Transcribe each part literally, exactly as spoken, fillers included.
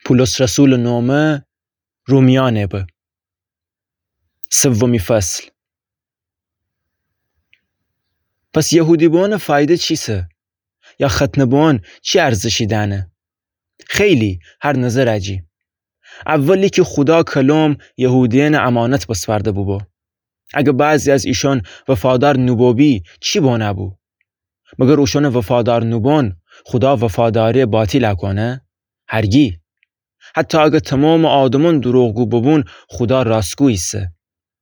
پولس رسولٚ نومه رومیأنه به. سومی فصل. پس یهودی بوئونٚ فایده چیسه؟ یا ختنه بوئون چی ارزشی دأنه؟ خیلی، هر نظرٚ جی. اولی کی خودا کلم یهودیأنٚ امانت بسپرده بوبو. اگه بعضی از ایشون وفادار نوبوبی چی بونه‌بو؟ مگر اوشونٚ وفادار نوبون خودا وفاداریَ باطیل کونه؟ هرگی. حتی اگه تومامٚ آدمون دوروغگو ببون، خودا راستگو ایسه.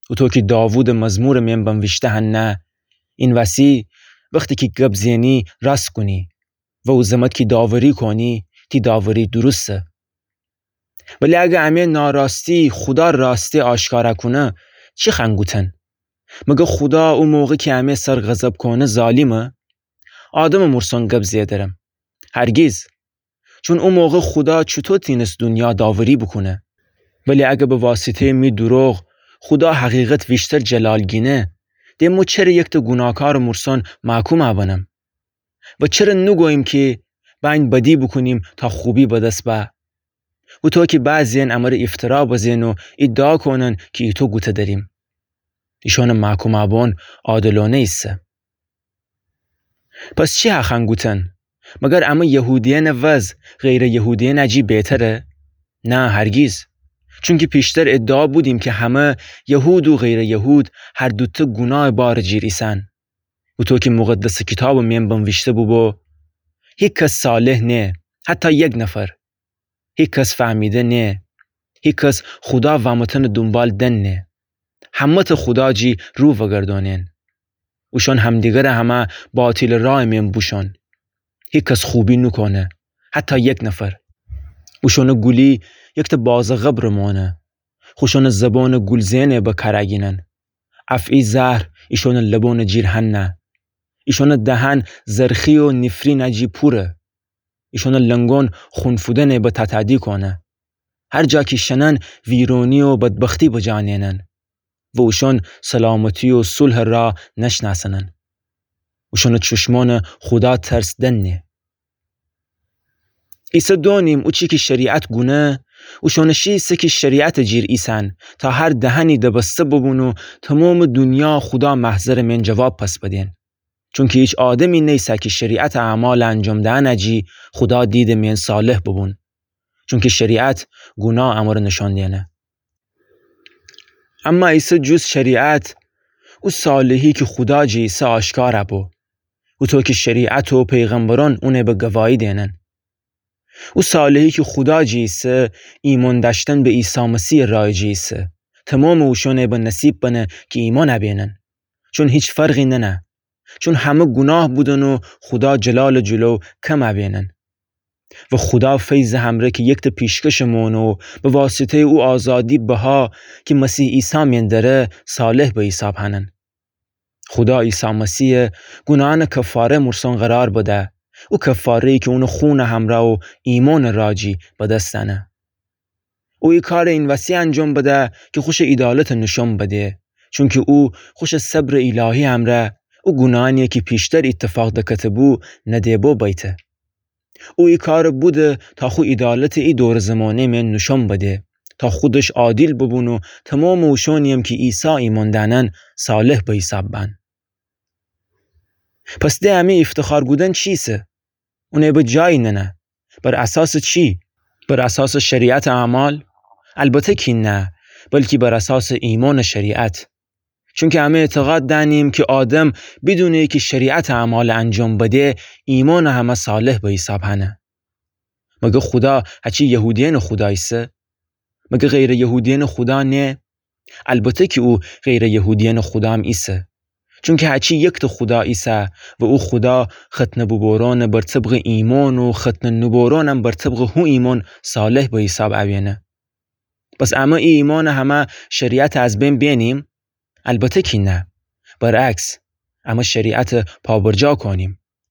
اوطو کی داوودٚ مزمورٚ مئن بنویشته هنه، این وسی وختی کی گب زئنی راست گونی و او زمت کی داوری کونی، تی داوری درسته. ولی اگه امه ناراستی خودا راستی آشکارا کونه، چی خوأن گوتن؟ مگه خودا او موقع کی امه سر غضب کونه ظالیمه؟ آدمٚ مورسون گب زئدرم. هرگیز. چون او موقع خودا چوطو تینس دونیا داوری بوکونه؟ ولی اگه به واسطه‌یٚ می دوروغ خودا حقیقت ویشتر جلال گینه، ده مو چره یکته گوناهکارٚ مورسون محکوم بنم؟ و چره نوگوییم کی بأیین بدی بوکونیم تا خوبی به دس به؟ اوطو کی بعضی‌یأن امره افترا بزئن و ادعا کونن کی ایتو گوته دریم. ایشونٚ محکوم بوئون عادلونه ایسه. پس چی هخوأن گوتن؟ مگر امه یهودیأنٚ وضع غیرٚ یهودیأنٚ جی بهتره؟ نه، هرگیز. چونکی پیشتر ادعا بودیم کی همه، یهود و غیرٚ یهود، هر دوته گوناهٚ بارٚ جیر ایسن. اوطو کی مقدسٚ کیتابٚ مئن بنویشته بوبو: هیکس صالح نه، حتی یک نفر. هیکس فهمیده نه، هیکس خودا واموتنٚ دونبال دنه. همه ته خودا جی رو وگردونن. اوشون همدیگره همه باطیلٚ راهٚ مئن بوشون. هیکس خوبی نوکونه، حتی یک نفر. اوشونٚ گولی یکته بازٚ قبرٚ مونه. خوشونٚ زبونٚ گول زئنٚ به کار گینن. افعی زهر ایشونٚ لبونٚ جیر هنه. ایشونٚ دهن زرخی و نیفرینٚ جی پوره. ایشونٚ لنگون خون فودنٚ به تاتادی کونه. هر جا کی شنن ویرونی و بدبختی بجا نئنن. و اوشون سلامتی و صلحٚ راه نشناسنن. اوشونٚ چوشمونٚ خودا ترس دنه. ایسه دونیم اوچی کی شریعت گونه، اوشونٚ شی ایسه کی شریعتٚ جیر ایسن، تا هر دهنی دبسته ببون و تومامٚ دونیا خودا محضرٚ مئن جواب پس بدین. چونکی هیچ آدمی نیسه کی شریعتٚ اعمالٚ انجام دئنٚ جی خودا دیدٚ مئن صالح ببون. چونکی شریعت گوناه امره نشان دئنه. اما ایسه جز شریعت، او صالحی کی خودا جی ایسه آشکار بو. اوطو کی شریعت و پیغمبرون اونٚ به گواهی دئنن. او صالحی کی خودا جی ایسه، ایمون دأشتن به عیسی مسیحٚ راه جی ایسه. تومامٚ اوشونٚ به نصیب بنه کی ایمون ابینن. چون هیچ فرقی ننه. چون همه گوناه بودن و خودا جلالٚ جلو کم ابینن. و خودا فیضٚ همره کی یکته پیشکشٚ مونه و به واسطه‌یٚ او آزادی بها کی مسیح عیسی مئن دره صالح به حیساب هنن. خودا عیسی مسیح گوناهأنٚ کفاره مورسون قرار بده، او کفاره‌یی کی اونٚ خونٚ همرا و ایمونٚ راه جی به دس دأنه. او ای کارٚ این وسی انجام بده کی خوشٚ عیدالتٚ نوشون بده، چونکی او خوشٚ صبرٚ الهی همرا او گوناهأنی کی پیشتر ایتفاق دکته‌بو نده‌بو بیته. او ای کارٚ بوده تا خو عیدالتٚ ای دورٚ زمانه مئن نوشون بده، تا خودش عادل ببون و تومامٚ اوشونی‌یم کی عیسی ایمون دأنن صالح به حیساب بأن. پس ده امی افتخار گودن چیسه؟ اونٚ به جایی ننه. بر اساسٚ چی؟ بر اساسٚ شریعتٚ اعمال؟ البته کی نه، بلکی بر اساسٚ ایمونٚ شریعت. چونکی امه اعتقاد دأنیم کی آدم بدونٚ کی شریعتٚ اعمال انجام بده، ایمونٚ همه صالح به حیساب هنه. مگه خودا هچی یهودیأنٚ خودا ایسه؟ مگه غیرٚ یهودیأنٚ خودا نه؟ البته کی او غیرٚ یهودیأنٚ خودام ایسه. چونکی هچی یکته خودا ایسه و او خودا ختنه بوبورونٚ بر طبقٚ ایمون و ختنه نوبورونم بر طبقٚ هو ایمون صالح به حیساب اوینه. پس امه ای ایمونٚ همه شریعتٚ از بین بینیم؟ البته کی نه. برعکس، امه شریعتٚ پابرجا کونیم.